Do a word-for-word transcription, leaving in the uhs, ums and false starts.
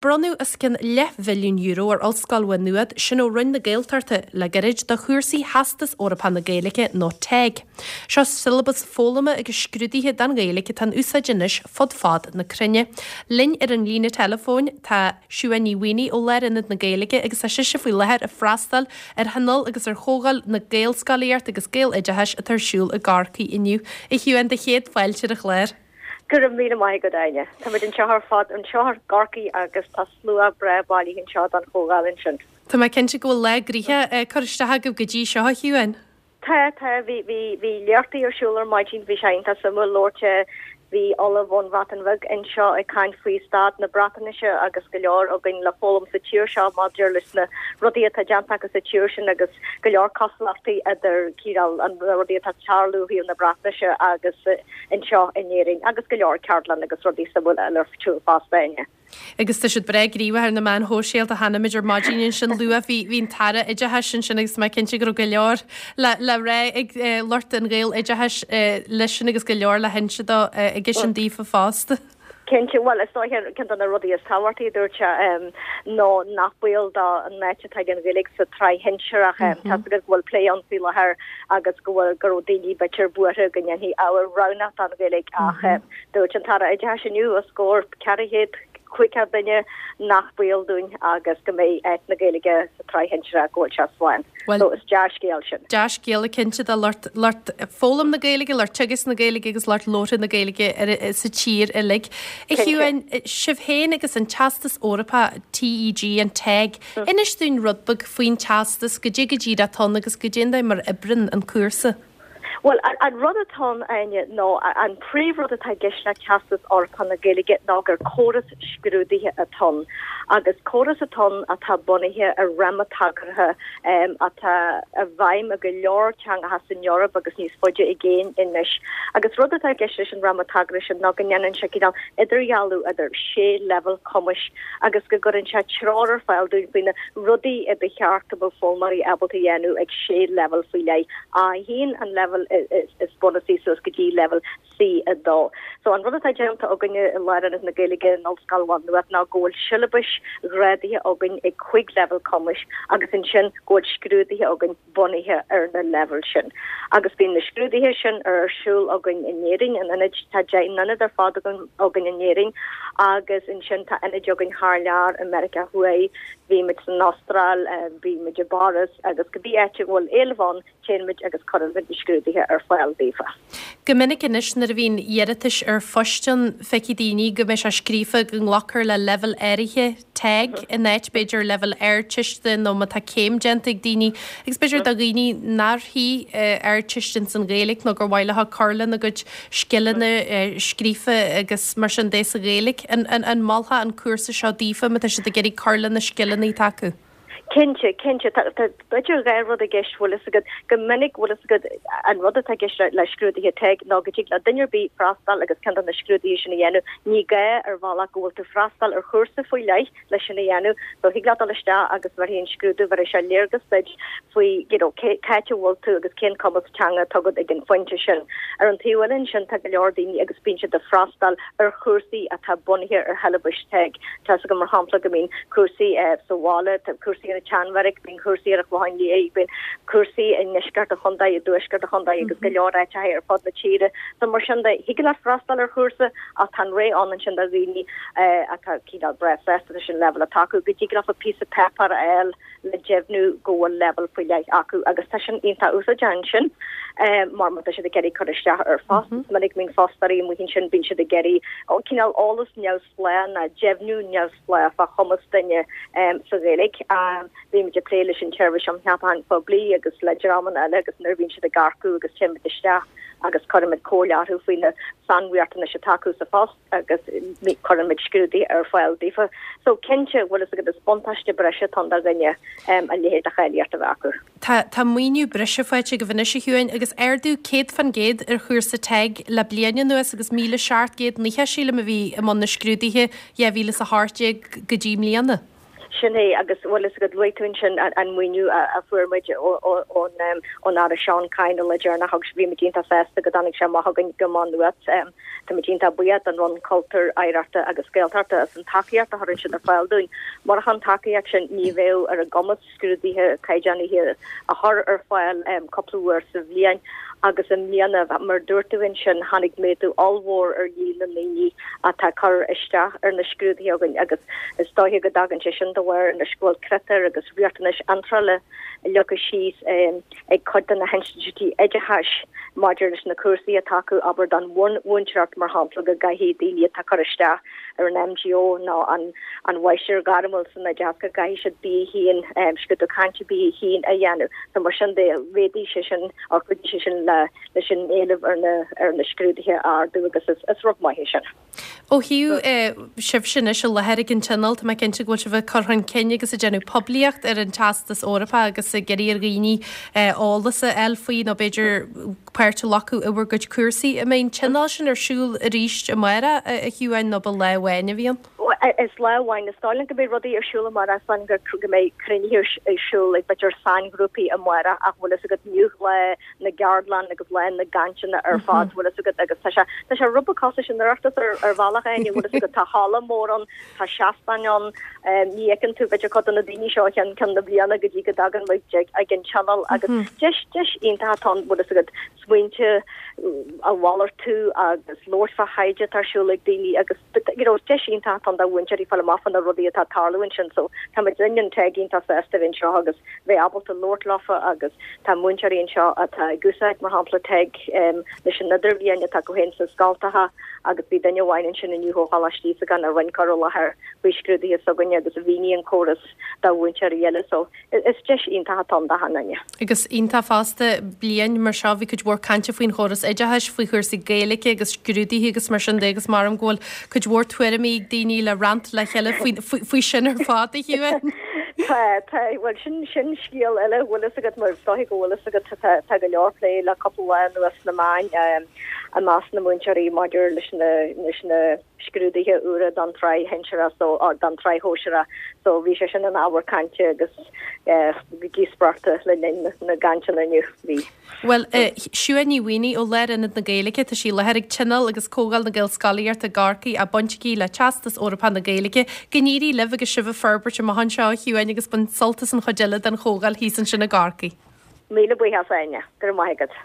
Bronnadh os cionn leathmhilliún euro ar Ollscoil Mhá Nuad, sin ó Roinn na Gaeltachta le gairid do chúrsaí Theastas Eorpach na Gaeilge nó TEG. Seo siollabas foghlama agus scrúduithe don Ghaeilge atá in úsáid anois fud fad na cruinne. Linn ar an líne teileafóin tá Siuán Ní Mhaonaigh ó Lárionad na Gaeilge agus tá sise faoi láthair ag freastal ar thionól agus ar chomhdháil na Gaelscolaíochta agus Gaeloideachais atá ar siúl i gCorcaigh inniu. A Shiuán, do chéad fáilte ar an chlár. Go raibh míle maith agat, Áine. Táimid anseo ar fad anseo i gCorcaigh agus tá slua breá bailithe anseo don chomhdháil ansin. Tá mé cinnte go bhfuil lá gnoitheach curtha isteach agaibh go dtí seo, a Shiuán. Tá, tá, bhí bhí bhí léachtaí ar siúl ar maidin, bhí sé iontach suimiúil labhairt bhí ollamh ón Bhreatain Bheag anseo ag caint faoi staid na Breatnaise agus go leor againn le foghlaim sa tír seo maidir leis na rudaí atá déanta acu sa tír sin agus go leor cosúlachtaí idir cineál an rudaí atá ag tarlú ó thaobh na Breatnaise agus anseo in Éirinn agus go leor ceardlann agus rudaí suimiúla eile ar siúl fosta inniu. Agus tá siad breá gníomhach ar na meáin shóisialta chonaic muid ar maidin ansin luath bhí bhí an tAire Oideachais ansin agus mé cinnte go raibh go leor le le rá ag lucht an Ghaeloideachais leis sin agus go leor le hinse dó aige sin daofa fosta. Cinnte, bhuel is dóiche ceann de na rudaí is tábhachtaí a dúirt sé ná nach baol dó an áit atá ag an Ghaeilge sa tsraith shinsearach. Tá a fhios agat go bhfuil plé ann faoi láthair agus go bhfuil go raibh daoine b'fhéidir buartha go ndéanfaí ábhar roghnach den Ghaeilge ach dúirt an tAire Oideachais inniu os comhair ceithre chéad caoga duine nach baol dúinn agus go mbeidh áit na Gaeilge sa tsraith shinsearach go bhfuil sé slán. So is dea-scéal sin. Dea-scéal cinnte do lucht lucht foghlaim na Gaeilge, lucht teagasc na Gaeilge agus lucht labhartha na Gaeilge ar sa tír uilig. A Shiuán, sibh féin agus an Teastas Eorpach TEG an TEG, inis dúinn rud beag faoin teastas, goidé go díreach atá ann agus goidé an dóigh mar a oibríonn an cúrsa. Bhuel, an rud atá ann, Áine, ná an príomhrud atá i gceist le Teastas Eorpach na Gaeilge ná gur córas scrúdaithe atá ann, agus córas atá ann atá bunaithe ar fhráma tagartha atá i bhfeidhm i go leor teangacha san Eoraip agus níos faide i gcéin anois. Agus rud atá i gceist leis an fhráma tagartha sin ná go ndéanann sé cineál idirdhealú idir sé leibhéal cumais agus go gcuireann sé treoir ar fáil dúinn faoi na rudaí a ba cheart go mbeadh foghlaimeoirí ábalta a dhéanamh ag sé leibhéal faoi leith. A haon an leibhéal is bunúsaí suas go dtí leibhéal C a dó. So an rud atá déanta againne i Lárionad na Gaeilge in Ollscoil Mhá Nuad ná go bhfuil siollabais ghrádaithe againn ag cúig leibhéal cumais agus ansin go bhfuil scrúduithe againn bunaithe ar na leibhéil sin. Agus bíonn na scrúduithe sin ar siúl againn in Éirinn, in ionaid, tá deich n-ionad ar fad againn in Éirinn agus ansin tá ionaid againn thar lear i Meiriceá Thuaidh, bímid san Astráil, bímid i bPáras agus cibé áit a bhfuil éileamh ann téann muid agus cuireann muid na scrúduithe ar fáil daofa. Go minic anois nuair a bhíonn iarratais ar phoist ann, feicfidh daoine go mbeidh sé scríofa go nglacfar le leibhéal áirithe TEG in áit b'fhéidir leibhéal Ardteiste nó má tá céim déanta ag daoine agus b'fhéidir do dhaoine nár shuigh Ardteist ins an Ghaeilge nó gur mhaith leo cur lena gcuid scileanna scríofa agus mar sin de sa Ghaeilge. An, an, an molfá an cúrsa seo daofa má tá siad ag iarraidh cur lena scileanna atá acu? Cinnte, cinnte, tá b'fhéidir dhá rud i gceist bhfuil fhios agat, go minic bhfuil fhios agat an rud atá i gceist le scrúduithe TEG ná go dtig le duine ar bith freastal agus ceann de na scrúduithe sin a dhéanamh, ní gá ar bhealach go bhfuil tú freastal ar chúrsa faoi leith leis sin a dhéanamh, so thig leat dul isteach agus bheirfidh an scrúdú, bheirfidh sé léargas duit faoi you know cé cá háit a bhfuil tú agus cén cumas teanga atá agat ag an phointe sin. Ar an taobh eile ansin tá go leor daoine agus bíonn siad ag freastal ar chúrsaí atá bunaithe ar shiollabais TEG. Tá fhios agam mar shampla go mbíonn cúrsaí sa bhaile, tá cúrsaí ar an tSeanbheairic, bíonn cúrsaí ar an Chlochán Liath, bíonn cúrsaí i ndeisceart an chontae, i dtuaisceart an chontae agus go leor áiteacha ar fud na tíre. So mar sin de, thig leat freastal ar chúrsa ach tá an rogha ann ansin do dhaoine atá cineál breá sásta leis an leibhéal atá acu, go dtig leofa píosa páipéir a fháil le deimhniú go bhfuil leibhéal faoi leith acu agus tá sin iontach úsáideach ansin mar má tá siad ag iarraidh cur isteach ar phost, is minic go mbíonn fostóirí amuigh ansin, bíonn siad ag iarraidh cineál eolas neamhspleách nó deimhniú neamhspleách fá chumas duine sa Ghaeilge. Bímid ag plé leis an tSeirbhís um Cheapacháin Phoiblí agus le dreamanna eile agus nuair a bhíonn siad ag earcú agus téann muid isteach agus cuirimid comhairle orthu faoi na sainriachtanais atá acu sa phost agus cuirimid scrúduithe ar fáil daofa. So cinnte, bhfuil fhios agat, is buntáiste breise atá ann do dhuine a leithéid de cháilíocht a bheith acu. Tá tá maoiniú breise faighte agaibh anois a Shiúin agus ardú céad fan gcéad ar chúrsa TEG le bliain anuas agus míle seacht gcéad nócha sílim a bhí i mbun na scrúduithe dhá mhíle is a hocht déag go dtí i mbliana. Sin é agus bhfuil fhios agat luaigh tú ansin an maoiniú a fuair muid ón Aire Seán Kyne le deireanas agus bhí muid iontach sásta go dtáinig sé amach chugainn go Má Nuad. Tá muid iontach buíoch don Roinn Cultúir, Oidhreachta agus Gaeltachta as an tacaíocht a chuireann siad ar fáil dúinn. Murach an tacaíocht sin ní bheadh ar a gcumas scrúduithe caighdeánaithe a chur ar fáil cúpla uair sa bhliain agus i mbliana, mar dúirt tú ansin, tháinig méadú ollmhór ar líon na ndaoine atá ag cur isteach ar na scrúduithe againn agus is dóiche go dtagann sé sin de bharr anois go bhfuil critéir agus riachtanais iontrála leagtha síos ag cuid de na hinstitiúidí oideachais maidir leis na cúrsaí atá acu, abair don mhúinteoireacht mar shampla, go gcaithfidh daoine atá ag cur isteach ar an MGO nó an an Mháistir Ghairmiúil san Oideachas go gcaithfidh siad B a haon, scrúdú cainte B a haon a dhéanamh. So mar sin de, mhéadaigh sé sin, or chuidigh sé sin le leis an éileamh ar na ar na scrúduithe a ardú agus is is rud maith é sin. Ó thaobh sibhse anois i láthair ag an Tionól, tá mé cinnte go bhfuil sibh ag cur chun cinn agus ag déanamh poiblíocht ar an Teastas Eorpach agus ag iarraidh ar dhaoine eolas a fháil faoi nó b'fhéidir páirt a ghlacadh i bhur gcuid cúrsaí. An mbeidh an Tionól sin ar siúl arís amárach, a Shiobháin, nó ba lá amháin a bhí ann? Is lá amháin. Is dóigh liom go mbeidh rudaí ar siúl amárach, is dóigh liom go mbeidh cruinnithe ar siúl ag b'fhéidir sainghrúpaí amárach ach bhfuil fhios agat inniu lá na gceardlann agus lá na gcainteanna ar fad bhfuil fhios agat agus tá sé tá sé rud beag cosúil leis an Oireachtas ar ar bhealach éigin bhfuil fhios agat tá halla mór ann tá seastáin ann ní fheiceann tú b'fhéidir cuid de na daoine seo ceann ceann na bliana go dtí go dtagann muid ag ag an tionól agus deis deis iontach atá ann bhfuil fhios agat smaointe a mhalartú agus labhairt fá thaighde atá ar siúl ag daoine agus you know deis iontach atá ann do mhúinteoirí fáil amach fá na rudaí atá ag tarlú ansin so tá muid linn an TEG iontach sásta bheith anseo agus bheith ábalta labhairt leofa agus tá múinteoirí anseo atá ag úsáid mar shampla TEG um, leis an idirbhliain atá acu féin sna scoltacha agus bhí duine amháin ansin inniu ó Choláiste Íosagáin a rinne cur i láthair faoi scrúduithe s'againne agus a mhínigh an córas do mhúinteoirí eile so is deis iontach atá ann d'achan duine. Agus iontach fosta bliain mar seo bhí cuid mhór cainte faoin chóras oideachais, faoi chúrsaí Gaeilge agus scrúduithe agus mar sin de agus mar go bhfuil cuid mhór tuairimí ag daoine le roinnt le chéile faoi sin ar fad a Shiobháin. Tá tá bhuel sin sin scéal eile bhfuil fhios agat mar is dóiche go bhfuil fhios agat tá tá go leor plé le cúpla lá anuas sna meáin i measc na múinteoirí maidir leis na leis na scrúduithe úra don tsraith shinsearach so or don tsraith shóisearach so bhí sé sin an ábhar cainte agus díospóireachta le linn na gcainteanna inniu bhí. Well Siún Ní Mhaonaigh ó Lárionad na Gaeilge tá sí i láthair ag Tionól agus Comhdháil na Gaelscolaíochta i gCorcaigh a baint aici le Teastas Eorpach na Gaeilge. Go n-éirí libh agus sibh ag forbairt amach anseo a Shiobháin agus bain sult as an chuid eile den chomhdháil thíos ansin i gCorcaigh. Míle buíochas Áine, go raibh maith agat.